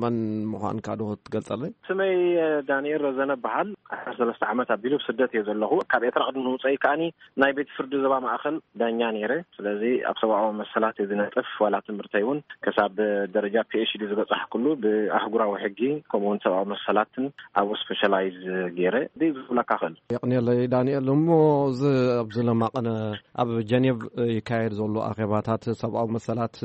መን ምዃንካ ዶ ትገልጸለይ? ስመይ ዳንኤል ረዘነ በሃል። ዓሰርተ ሰለስተ ዓመት ኣቢሉ ብስደት እየ ዘለኹ። ካብ ኤርትራ ቅድሚ ምውፀኢ ከኣኒ ናይ ቤት ፍርዲ ዞባ ማእኸል ዳኛ ነይረ። ስለዚ ኣብ ሰብኣዊ መሰላት እየ ዝነጥፍ። ዋላ ትምህርተይ እውን ክሳብ ደረጃ ፒ ኤች ዲ ዝበጻሕኩሉ ብኣህጉራዊ ሕጊ ከምኡውን ሰብኣዊ መሰላትን ኣብኡ ስፔሻላይዝ ገይረ። እዚ ዝብለካ ክእል። የቕንየለይ ዳንኤል። እሞ እዚ ኣብዚ ለማቐነ ኣብ ጀኔቭ ይካየድ ዘሎ ኣኼባታት ሰብኣዊ መሰላት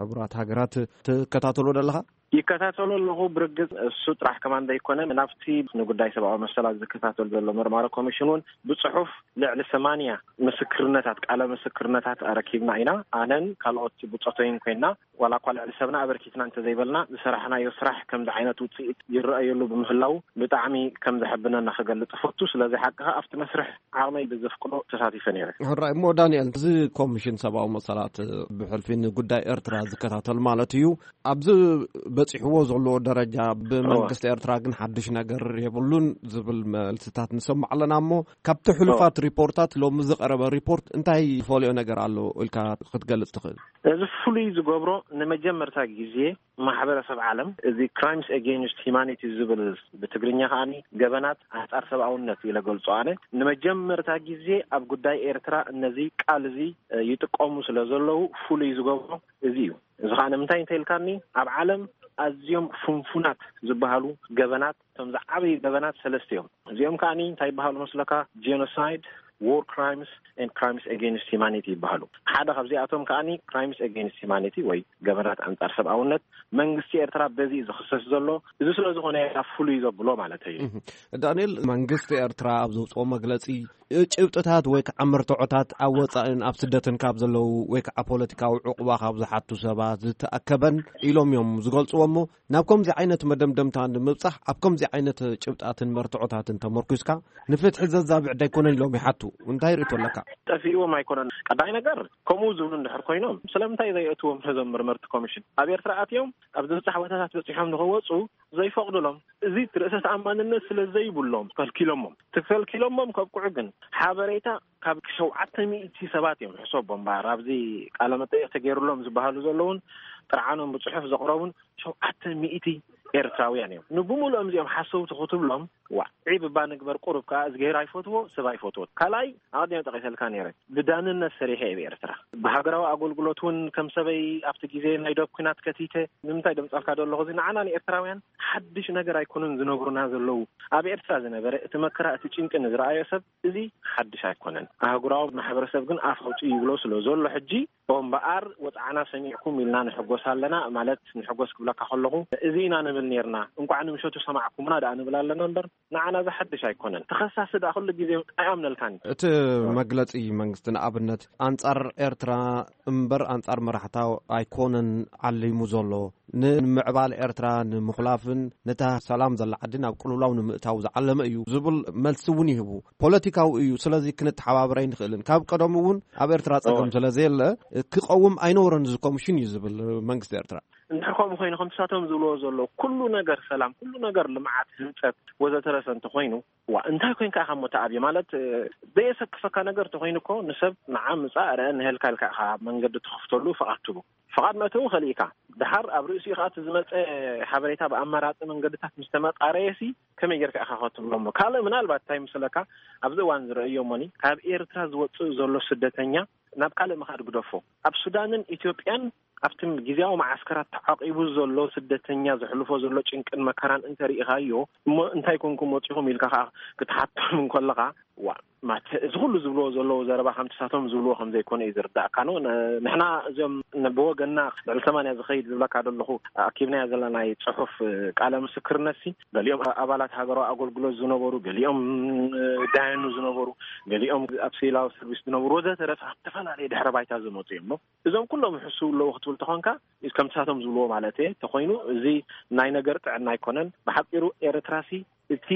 ሕቡራት ሃገራት ትከታተሎ ደለኻ? ይከታተሎ ኣለኹ። ብርግጽ እሱ ጥራሕ ከማን ዘይኮነ፣ ናብቲ ንጉዳይ ሰብኣዊ መሰላት ዝከታተል ዘሎ መርማሪ ኮሚሽን እውን ብጽሑፍ ልዕሊ ሰማንያ ምስክርነታት፣ ቃለ ምስክርነታት ኣረኪብና ኢና። ኣነን ካልኦት ብጾተይን ኮይና፣ ዋላ እኳ ልዕሊ ሰብና ኣበርኪትና እንተዘይበልና፣ ዝሰራሕናዮ ስራሕ ከምዚ ዓይነት ውጽኢት ይረኣየሉ ብምህላው ብጣዕሚ ከም ዘሐብነና ክገልጽ እፈቱ። ስለዚ ሓቅኻ ኣብቲ መስርሕ ዓቕመይ ብዘፍቅዶ ተሳቲፈ ነይረ። ሕራይ እሞ ዳንኤል፣ እዚ ኮሚሽን ሰብኣዊ መሰላት ብሕልፊ ንጉዳይ ኤርትራ ዝከታተል ማለት እዩ። ኣብዚ በጺሕዎ ዘለዎ ደረጃ ብመንግስቲ ኤርትራ ግን ሓድሽ ነገር የብሉን ዝብል መልስታት ንሰምዕ ኣለና። እሞ ካብቲ ሕሉፋት ሪፖርታት ሎሚ ዝቐረበ ሪፖርት እንታይ ዝፈልዮ ነገር ኣሎ ኢልካ ክትገልጽ ትኽእል? እዚ ፍሉይ ዝገብሮ ንመጀመርታ ግዜ ማሕበረሰብ ዓለም እዚ ክራይምስ ኤጌንስት ሂማኒቲ ዝብል ብትግርኛ ከኣኒ ገበናት ኣንጻር ሰብኣውነት ኢለ ገልጾ። ኣነ ንመጀመርታ ግዜ ኣብ ጉዳይ ኤርትራ እነዚ ቃል እዚ ይጥቀሙ ስለ ዘለዉ ፍሉይ ዝገብሮ እዚ እዩ። እዚ ከኣ ንምንታይ እንተኢልካኒ ኣብ ዓለም ኣዝዮም ፍንፉናት ዝበሃሉ ገበናት፣ እቶም ዝዓበዩ ገበናት ሰለስተ እዮም። እዚኦም ከኣኒ እንታይ ይበሃሉ መስለካ? ጄኖሳይድ፣ ዎር ክራይምስ ኤንድ ክራይምስ ኤጌንስት ሂማኒቲ ይበሃሉ። ሓደ ካብዚኣቶም ከኣኒ ክራይምስ ኤጌንስት ሂማኒቲ ወይ ገበናት ኣንጻር ሰብኣውነት መንግስቲ ኤርትራ በዚ እዩ ዝኽሰስ ዘሎ። እዚ ስለ ዝኾነ ኣብ ፍሉይ ዘብሎ ማለት እዩ። እህ፣ ዳንኤል፣ መንግስቲ ኤርትራ ኣብ ዘውፅኦ መግለፂ ጭብጥታት ወይ ከዓ መርትዖታት ኣብ ወፃእን ኣብ ስደትን ካብ ዘለዉ ወይ ከዓ ፖለቲካዊ ዕቑባ ካብ ዝሓቱ ሰባት ዝተኣከበን ኢሎም እዮም ዝገልፅዎ። እሞ ናብ ከምዚ ዓይነት መደምደምታ ንምብፃሕ ኣብ ከምዚ ዓይነት ጭብጣትን መርትዖታትን ተመርኩስካ ንፍትሒ ዘዛብዕ ዳይኮነን ኢሎም ይሓቱ። እንታይ ርእቶ ኣለካ? ጠፊእዎም ኣይኮነን። ቀዳይ ነገር፣ ከምኡ ዝብሉ እንድሕር ኮይኖም፣ ስለምንታይ ዘይእትዎም ነዞም መርመርቲ ኮሚሽን? ኣብ ኤርትራ ኣትዮም ኣብ ዝበፅሕ ቦታታት በፂሖም ንኸወፁ ዘይፈቕዱሎም፣ እዚ ርእሰ ተኣማንነት ስለ ዘይብሎም ከልኪሎሞም። ትከልኪሎሞም ከብቅዑ ግን ሓበሬታ ካብ ሸውዓተ ሚእቲ ሰባት እዮም ሕሰቦም እምበኣር ኣብዚ ቃለ መጠይቕ ተገይሩሎም ዝበሃሉ ዘለውን ጥርዓኖም ብፅሑፍ ዘቕረቡን ሸውዓተ ሚእቲ ኤርትራውያን እዮም። ንብምሉኦም እዚኦም ሓሰውቲ ክትብሎም፣ ዋ፣ ዒብ እባ ንግበር፣ ቁሩብ ከኣ እዝግሄር ኣይፈትዎ፣ ሰብ ኣይፈትዎ። ካልኣይ፣ ኣቐዲመ ጠቒሰልካ ነይረ፣ ብዳንነት ሰሪሐ እየ ብኤርትራ። ብሃገራዊ ኣገልግሎት እውን ከም ሰበይ ኣብቲ ግዜ ናይ ዶብ ኲናት ከቲተ። ንምንታይ ደምጻልካ ደለኹ? እዚ ንዓና ንኤርትራውያን ሓድሽ ነገር ኣይኮኑን ዝነግሩና ዘለዉ። ኣብ ኤርትራ ዝነበረ እቲ መከራ፣ እቲ ጭንቂ ንዝረኣዮ ሰብ እዚ ሓድሽ ኣይኮነን። ኣህጉራዊ ማሕበረሰብ ግን ኣፍ ኣውጽእ ይብሎ ስለ ዘሎ ሕጂ እምበኣር ወጽዓና ሰሚዕኩም ኢልና ንሕጎስ ኣለና። ማለት ንሕጎስ ክብለካ ከለኹ እዚ ኢና ንብል ነርና፣ እንቋዕ ንምሸቱ ሰማዕኩምና ደኣ ንብል ኣለና እምበር ንዓና ዝሓድሽ ኣይኮነን። ተኸሳሲ ደኣ ኩሉ ግዜ ኣይኣምነልካን እዩ። እቲ መግለጺ መንግስቲ ንኣብነት ኣንጻር ኤርትራ እምበር ኣንጻር መራሕታ ኣይኮነን ዓሊሙ ዘሎ። ንምዕባል ኤርትራ ንምኹላፍን ነታ ሰላም ዘላ ዓዲ ናብ ቅልውላው ንምእታው ዝዓለመ እዩ ዝብል መልሲ እውን ይህቡ። ፖለቲካዊ እዩ፣ ስለዚ ክንተሓባበር ኣይንኽእልን። ካብ ቀደሙ እውን ኣብ ኤርትራ ጸገም ስለ ዘየለ ክቐውም ኣይነበሮን እዚ ኮሚሽን እዩ ዝብል መንግስቲ ኤርትራ። እንድሕር ከምኡ ኮይኑ ከምትሳቶም ዝብልዎ ዘሎ ኩሉ ነገር ሰላም፣ ኩሉ ነገር ልምዓት፣ ህንፀት ወዘተረፈ እንተኮይኑ ዋ እንታይ ኮይንካ ኢኻ እሞ ተኣብየ ማለት ዘየሰክፈካ ነገር ተኮይኑ እኮ ንሰብ ንዓ ምፃእ ርአ ንሀልካ ኢልካ ኢኻ መንገዲ ትኸፍተሉ ፍቓድ ትቡ ፍቓድ መእተዊ ከሊእካ ድሓር ኣብ ርእሲኡ ከዓ እቲ ዝመፀ ሓበሬታ ብኣማራፂ መንገድታት ምስ ተመቃረየሲ ከመይ ጌርካ ኢኻ ክትብሎ እሞ ካልእ ምናልባት እንታይ ምስለካ ኣብዚ እዋን ዝረእዮ እሞኒ ካብ ኤርትራ ዝወፅእ ዘሎ ስደተኛ ናብ ካልእ ምኻድ ግደፎ ኣብ ሱዳንን ኢትዮጵያን ኣብቲ ግዜያዊ መዓስከራት ተዓቂቡ ዘሎ ስደተኛ ዘሕልፎ ዘሎ ጭንቅን መከራን እንተሪኢኻዮ እሞ እንታይ ኮንኩም ወፂኹም ኢልካ ከዓ ክትሓቶም እንከለኻ ዋ ማተ እዚ ኩሉ ዝብልዎ ዘለዉ ዘረባ ከምትሳቶም ዝብልዎ ከምዘይኮነ እዩ ዝርዳእካ ነው ንሕና እዚኦም ብወገና ልዕሊ ሰማንያ ዝኸይድ ዝብለካ ዘለኹ ኣኪብናያ ዘለና ናይ ፅሑፍ ቃለ ምስክርነት ሲ ገሊኦም ኣባላት ሃገራዊ ኣገልግሎት ዝነበሩ ገሊኦም ዳያኑ ዝነበሩ ገሊኦም ኣብ ሲቪላዊ ሰርቪስ ዝነብሩ ወዘተረፈ ካብ ዝተፈላለየ ድሕረ ባይታ ዝመፁ እዮም እሞ እዞም ኩሎም ይሕሱ ኣለዉ ክትብል ተኾንካ ከምትሳቶም ዝብልዎ ማለት እየ ተኾይኑ እዚ ናይ ነገር ጥዕና ኣይኮነን ብሓፂሩ ኤርትራሲ እቲ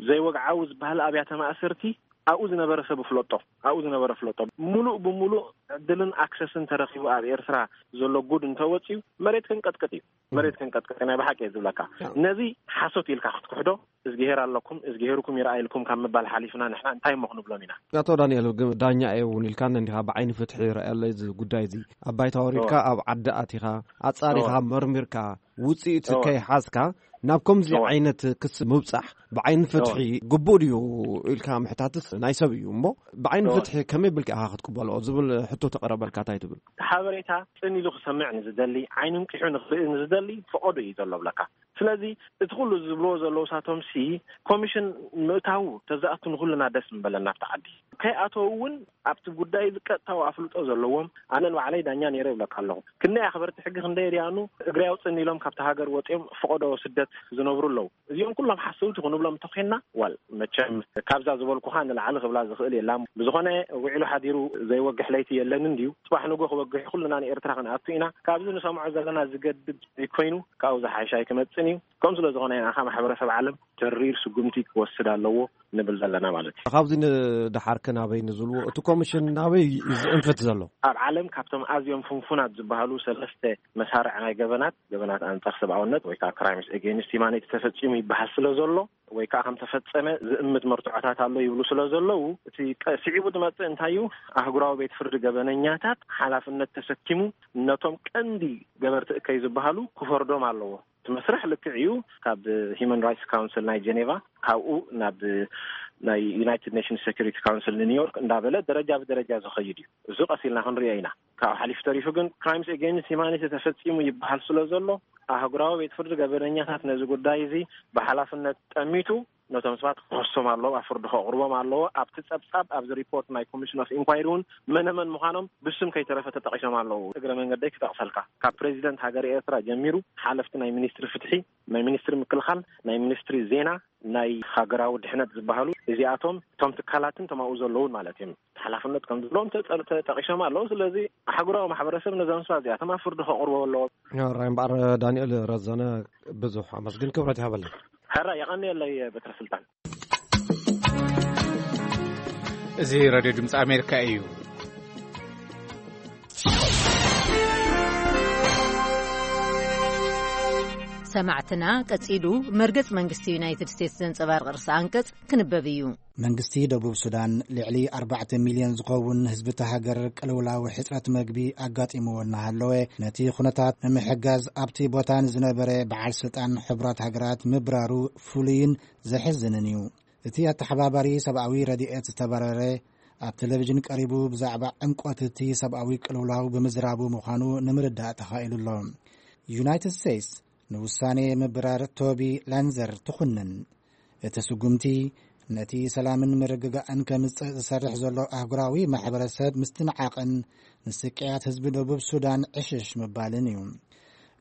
ዘይወግዓዊ ዝበሃል ኣብያተ ማእሰርቲ ኣብኡ ዝነበረ ሰብ ፍለጦ ኣብኡ ዝነበረ ፍለጦ ሙሉእ ብሙሉእ ዕድልን ኣክሰስን ተረኪቡ ኣብ ኤርትራ ዘሎ ጉድ እንተወፅዩ መሬት ክንቀጥቀጥ እዩ መሬት ክንቀጥቀጥ ናይ ብሓቂ እየ ዝብለካ ነዚ ሓሶት ኢልካ ክትክሕዶ እዝግሄር ኣለኩም እዝግሄርኩም ይረኣየልኩም ካብ ምባል ሓሊፍና ንሕና እንታይ እሞ ክንብሎም ኢና ኣቶ ዳንኤል ዳኛ እየ እውን ኢልካ እንዲኻ ብዓይኒ ፍትሒ ይረኣየለይ እዚ ጉዳይ እዚ ኣብ ባይታ ወሪድካ ኣብ ዓዲ ኣቲኻ ኣጻሪኻ መርሚርካ ውፅኢት ከይሓዝካ ናብ ከምዚ ዓይነት ክሲ ምብፃሕ ብዓይኒ ፍትሒ ግቡእ ድዩ ኢልካ ምሕታትስ ናይ ሰብ እዩ እሞ ብዓይኒ ፍትሒ ከመይ ብልካ ኢኻ ክትቅበሎ ዝብል ሕቶ ተቀረበልካ እንታይ ትብል ሓበሬታ ፅን ኢሉ ክሰምዕ ንዝደሊ ዓይኑ ንቂሑ ንክርኢ ንዝደሊ ፈቀዶ እዩ ዘሎ ብለካ ስለዚ እቲ ኩሉ ዝብልዎ ዘለዉ ሳቶም ሲ ኮሚሽን ምእታዉ ተዝኣቱ ንኩልና ደስ ምበለና ኣብቲ ዓዲ ከይኣተዉ እውን ኣብቲ ጉዳይ እዚ ቀጥታዊ ኣፍልጦ ዘለዎም ኣነ ንባዕለይ ዳኛ ነይረ ይብለካ ኣለኹ ክንደይ ኣኽበርቲ ሕጊ ክንደይ ሪኣኑ እግሪ ኣውፅእኒ ኢሎም ካብቲ ሃገር ወፂኦም ፈቐዶ ስደት ዝነብሩ ኣለዉ እዚኦም ኩሎም ሓሰውቲ ክንብሎም እንተኮይንና ዋል መቸም ካብዛ ዝበልኩኻ ንላዕሊ ክብላ ዝኽእል የላን ብዝኾነ ውዒሉ ሓዲሩ ዘይወግሕ ለይቲ የለንን ድዩ ፅባሕ ንጎ ክወግሕ ኩልና ንኤርትራ ክንኣቱ ኢና ካብዚ ንሰምዖ ዘለና ዝገድድ ዘይኮይኑ ካብኡ ዝሓይሽ ኣይክመፅን እዩ ከም ስለ ዝኾነ ኢና ከ ማሕበረሰብ ዓለም ተሪር ስጉምቲ ክወስድ ኣለዎ ንብል ዘለና ማለት እዩ። ካብዚ ንደሓር ከ ናበይ ንዝብልዎ እቲ ኮሚሽን ናበይ እዩ ዝእንፍት ዘሎ? ኣብ ዓለም ካብቶም ኣዝዮም ፍንፉናት ዝበሃሉ ሰለስተ መሳርዕ ናይ ገበናት ገበናት ኣንጻር ሰብኣውነት ወይ ከዓ crimes against humanity ተፈጺሙ ይበሃል ስለ ዘሎ ወይ ከዓ ከም ተፈጸመ ዝእምት መርትዖታት ኣሎ ይብሉ ስለ ዘለዉ እቲ ስዒቡ ዝመጽእ እንታይ እዩ ኣህጉራዊ ቤት ፍርዲ ገበነኛታት ሓላፍነት ተሰኪሙ ነቶም ቀንዲ ገበርቲ እከይ ዝበሃሉ ክፈርዶም ኣለዎ። እቲ መስርሕ ልክዕ እዩ ካብ Human Rights Council ናይ ጀኔቫ ካብኡ ናብ ናይ United Nations Security Council ንኒውዮርክ እንዳበለ ደረጃ ብደረጃ ዝኸይድ እዩ። እዚ ቀስ ኢልና ክንሪኦ ኢና። ካብኡ ሓሊፉ ተሪፉ ግን crimes against humanity ተፈፂሙ ይበሃል ስለ ዘሎ ኣህጉራዊ ቤት ፍርዲ ገበነኛታት ነዚ ጉዳይ እዚ ብሓላፍነት ጠሚቱ ነቶም ሰባት ክኸሶም ኣለዎ፣ ኣብ ፍርዲ ከቕርቦም ኣለዎ። ኣብቲ ፀብፃብ ኣብዚ ሪፖርት ናይ Commission of Inquiry እውን መነመን ምዃኖም ብስም ከይተረፈ ተጠቒሶም ኣለዉ። እግረ መንገደይ ክጠቕሰልካ ካብ ፕሬዚደንት ሃገረ ኤርትራ ጀሚሩ ሓለፍቲ ናይ ሚኒስትሪ ፍትሒ፣ ናይ ሚኒስትሪ ምክልኻል፣ ናይ ሚኒስትሪ ዜና፣ ናይ ሃገራዊ ድሕነት ዝበሃሉ እዚኣቶም እቶም ትካላትን እቶም ኣብኡ ዘለውን ማለት እዮም ሓላፍነት ከም ዝብሎም ተጠቂሶም ኣለዉ። ስለዚ ኣህጉራዊ ማሕበረሰብ ነዞም ሰባት እዚኣቶም ኣብ ፍርዲ ከቕርቦ ኣለዎ። ሕራይ እምበኣር ዳንኤል ረዘነ ብዙሕ ኣመስግን ክብረት ይሃበለይ። ሕራይ የቐንየለይ በትረ ስልጣን። እዚ ሬድዮ ድምፂ ኣሜሪካ እዩ። ሰማዕትና፣ ቀጺሉ መርገጽ መንግስቲ ዩናይትድ ስቴትስ ዘንጸባርቕ ርእሰ ኣንቀጽ ክንበብ እዩ። መንግስቲ ደቡብ ሱዳን ልዕሊ ኣርባዕተ ሚልዮን ዝኸውን ህዝቢ እታ ሃገር ቅልውላው ሕጽረት መግቢ ኣጋጢምዎ እናሃለወ፣ ነቲ ኩነታት ንምሕጋዝ ኣብቲ ቦታ ንዝነበረ በዓል ስልጣን ሕቡራት ሃገራት ምብራሩ ፍሉይን ዘሕዝንን እዩ። እቲ ኣተሓባባሪ ሰብኣዊ ረድኤት ዝተባረረ ኣብ ቴሌቪዥን ቀሪቡ ብዛዕባ ዕምቆት እቲ ሰብኣዊ ቅልውላው ብምዝራቡ ምዃኑ ንምርዳእ ተኻኢሉ ኣሎ። ዩናይትድ ስቴትስ ንውሳኔ ምብራር ቶቢ ላንዘር ትኹንን። እቲ ስጉምቲ ነቲ ሰላምን ምርግጋእን ከምጽእ ዝሰርሕ ዘሎ ኣህጉራዊ ማሕበረሰብ ምስትንዓቕን ንስቅያት ህዝቢ ደቡብ ሱዳን ዕሽሽ ምባልን እዩ።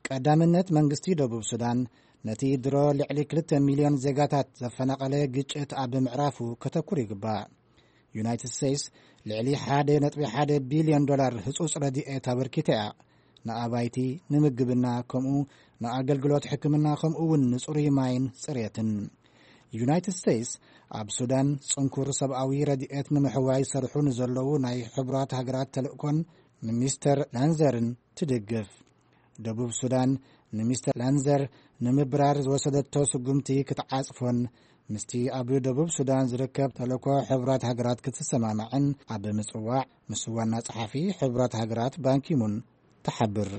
ቀዳምነት መንግስቲ ደቡብ ሱዳን ነቲ ድሮ ልዕሊ ክልተ ሚልዮን ዜጋታት ዘፈናቐለ ግጭት ኣብ ምዕራፉ ከተኩር ይግባእ። ዩናይትድ ስቴትስ ልዕሊ ሓደ ነጥቢ ሓደ ቢልዮን ዶላር ህጹጽ ረድኤት ኣበርኪታ እያ። ንኣባይቲ፣ ንምግብና፣ ከምኡ ንኣገልግሎት ሕክምና፣ ከምኡ እውን ንጽሩይ ማይን ጽሬትን። ዩናይትድ ስቴትስ ኣብ ሱዳን ጽንኩር ሰብኣዊ ረድኤት ንምሕዋይ ይሰርሑ ንዘለዉ ናይ ሕቡራት ሃገራት ተልእኮን ንሚስተር ላንዘርን ትድግፍ። ደቡብ ሱዳን ንሚስተር ላንዘር ንምብራር ዝወሰደቶ ስጉምቲ ክትዓጽፎን ምስቲ ኣብ ደቡብ ሱዳን ዝርከብ ተልእኮ ሕቡራት ሃገራት ክትሰማማዕን ኣብ ምጽዋዕ ምስ ዋና ጸሓፊ ሕቡራት ሃገራት ባንኪሙን ትሓብር።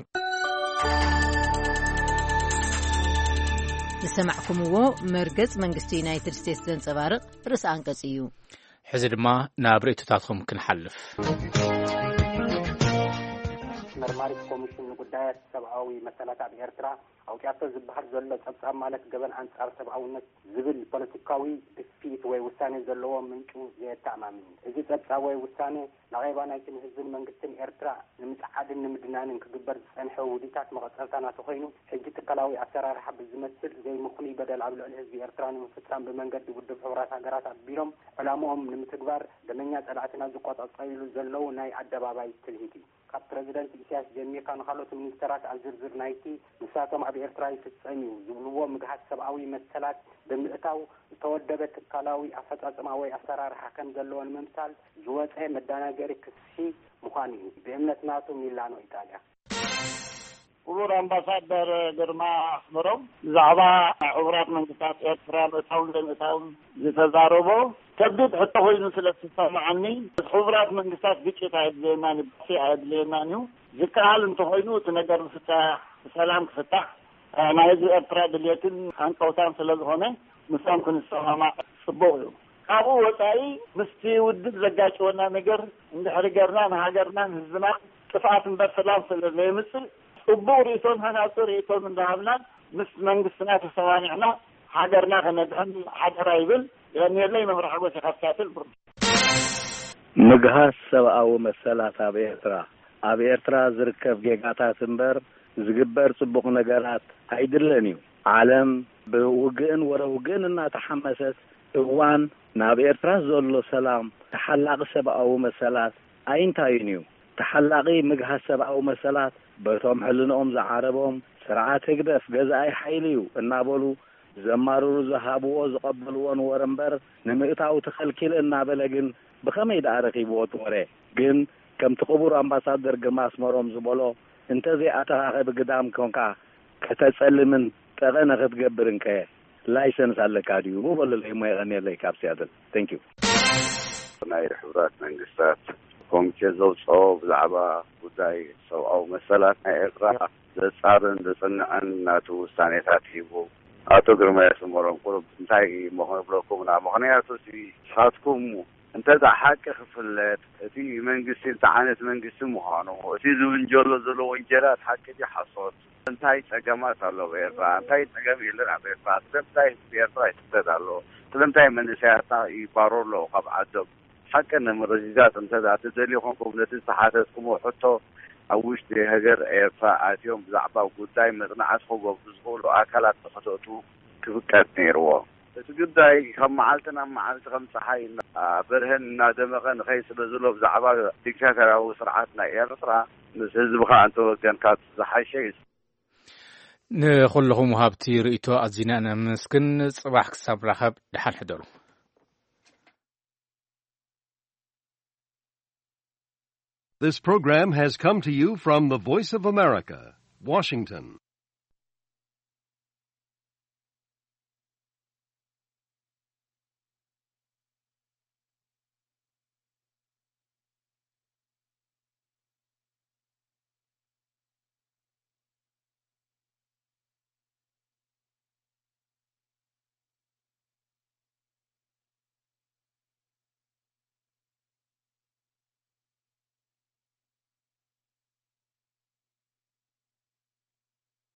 ዝሰማዕኩምዎ መርገጽ መንግስቲ ዩናይትድ ስቴትስ ዘንጸባርቕ ርእሰ ኣንቀጽ እዩ። ሕዚ ድማ ናብ ርእይቶታትኩም ክንሓልፍ። መርማሪት ኮሚሽን ንጉዳያት ሰብኣዊ መሰላት ኣብ ኤርትራ ኣውጽኣቶ ዝበሃል ዘሎ ጸብጻብ፣ ማለት ገበን ኣንጻር ሰብኣውነት ዝብል ፖለቲካዊ ድፍኢት ወይ ውሳኔ ዘለዎ ምንጩ ዘየተኣማምን እዩ። እዚ ጸብጻብ ወይ ውሳኔ፣ ነቐይባ ናይቲ ንህዝብን መንግስትን ኤርትራ ንምጽዓድን ንምድናንን ክግበር ዝጸንሐ ውዲታት መቐጸልታ ናቱ ኮይኑ፣ ሕጂ ትካላዊ ኣሰራርሓ ብዝመስል ዘይምኽኑይ በደል ኣብ ልዕሊ ህዝቢ ኤርትራ ንምፍጻም ብመንገዲ ውድብ ሕቡራት ሃገራት ኣቢሎም ዕላምኦም ንምትግባር ደመኛ ጸላእትና ዝቆጻጸርሉ ዘለዉ ናይ ኣደባባይ ትልሂት እዩ። ካብ ፕረዚደንት ኢሳያስ ጀሚርካ ንኻልኦት ሚኒስተራት ኣብ ዝርዝር ናይቲ ንሳቶም ኣብ ኤርትራ ይፍጸም እዩ ዝብልዎ ምግሃስ ሰብኣዊ መሰላት ብምእታው፣ ዝተወደበ ትካላዊ ኣፈጻጽማ ወይ ኣሰራርሓ ከም ዘለዎ ንምምሳል ዝወጸ መደናገሪ ክሲ ምዃኑ እዩ፣ ብእምነት ናቱ ሚላኖ ኢጣልያ። ክቡር ኣምባሳደር ግርማ ኣስመሮም፣ ብዛዕባ ናይ ሕቡራት መንግስታት ኤርትራ ምእታውን ዘይምእታውን ዝተዛረቦ ከቢድ ሕቶ ኮይኑ ስለ ዝሰማዓኒ፣ ምስ ሕቡራት መንግስታት ግጭት ኣየድልየናን እዩ፣ ባሲ ኣየድልየናን እዩ። ዝከኣል እንተኾይኑ እቲ ነገር ብፍታ-፣ ብሰላም ክፍታሕ፣ እ፣ ናይ ህዝቢ ኤርትራ ድልየትን ሃንቀውታን ስለ ዝኾነ፣ ምስኦም ክንሰማማዕ ጽቡቕ እዩ። ካብኡ ወጻኢ፣ ምስቲ ውድብ ዘጋጭወና ነገር እንድሕሪ ገርና፣ ንሃገርናን ህዝብናን ጥፍኣት እምበር ሰላም ስለ ዘየምጽእ፣ ጽቡቕ ርእይቶን ሃናጺ ርእይቶን እንዳሃብና፣ ምስ መንግስትና ተሰማሚዕና፣ ሃገርና ከነድሕን ሓደራ ይብል። የቐንየለይ። መምህር ሓጎስ ኢኻ ትካትል ብሩ። ምግሃስ ሰብኣዊ መሰላት ኣብ ኤርትራ፣ ኣብ ኤርትራ ዝርከብ ጌጋታት እምበር ዝግበር ጽቡቕ ነገራት ኣይድለን እዩ። ዓለም ብውግእን ወረ ውግእን እናተሓመሰት እዋን፣ ናብ ኤርትራ ዘሎ ሰላም ተሓላቒ ሰብኣዊ መሰላት ኣይንታዩን እዩ። ተሓላቒ ምግሃስ ሰብኣዊ መሰላት በቶም ሕልንኦም ዝዓረቦም ስርዓት ህግደፍ ገዛኢ ሓይሊ እዩ እናበሉ ዘማርሩ ዝሃብዎ ዝቐበልዎን ወረ እምበር ንምእታው ተኸልኪለ እናበለ ግን ብኸመይ ደኣ ረኺብዎ እቲ ወረ? ግን ከምቲ ክቡር ኣምባሳደር ግርማ ኣስመሮም ዝበሎ እንተዘይኣተኻ ብግዳም ኮንካ ከተጸልምን ጠቐነ ክትገብርን ከ ላይሰንስ ኣለካ ድዩ? ምበለለይ እሞ የቐንየለይ ካብ ሲያትል። Thank you። ናይ ሕቡራት መንግስታት ኮሚቴ ዘውፅኦ ብዛዕባ ጉዳይ ሰብኣዊ መሰላት ናይ ኤርትራ ዘጻርን ዘጽንዕን ናቱ ውሳኔታት ሂቡ። ኣቶ ግርማይ ኣስመሮም ቁሩብ እንታይ እሞ ክንብለኩም ኢና? ምኽንያቱ እቲ ንስኻትኩም እንተ ደኣ ሓቂ ክፍለጥ፣ እቲ መንግስቲ እንታይ ዓይነት መንግስቲ ምዃኑ፣ እቲ ዝውንጀሎ ዘሎ ወንጀላት ሓቂ ድዩ ሓሶት፣ እንታይ ጸገማት ኣሎ ኣብ ኤርትራ፣ እንታይ ጸገም የለን ኣብ ኤርትራ፣ ስለምንታይ ህዝቢ ኤርትራ ይስደድ ኣሎ፣ ስለምንታይ መንእሰያትና ይባረሩ ኣለዉ ካብ ዓዶም፣ ሓቂ ንምርግጋጽ እንተ ደኣ ትደልዩ ኮንኩም፣ ነቲ ዝተሓተትኩሞ ሕቶ ኣብ ውሽጢ ሃገር ኤርትራ ኣትዮም ብዛዕባ ጉዳይ መጽናዕቲ ክገብሩ ዝኽእሉ ኣካላት ንኽተእትዉ ክፍቀድ ነይርዎ። እቲ ጉዳይ ካብ መዓልቲ ናብ መዓልቲ ከም ጸሓይ እና-፣ በርሀን እናደመቐ ንኸይድ ስለ ዘሎ፣ ብዛዕባ ዲክታቶርያዊ ስርዓት ናይ ኤርትራ ምስ ህዝብኻ እንተወገንካ ዝሓሸ እዩ። ንኹልኹም ወሃብቲ ርእይቶ ኣዚና ነመስግን። ጽባሕ ክሳብ ራኸብ ደሓን ሕደሩ። This program has come to you from the Voice of America, Washington.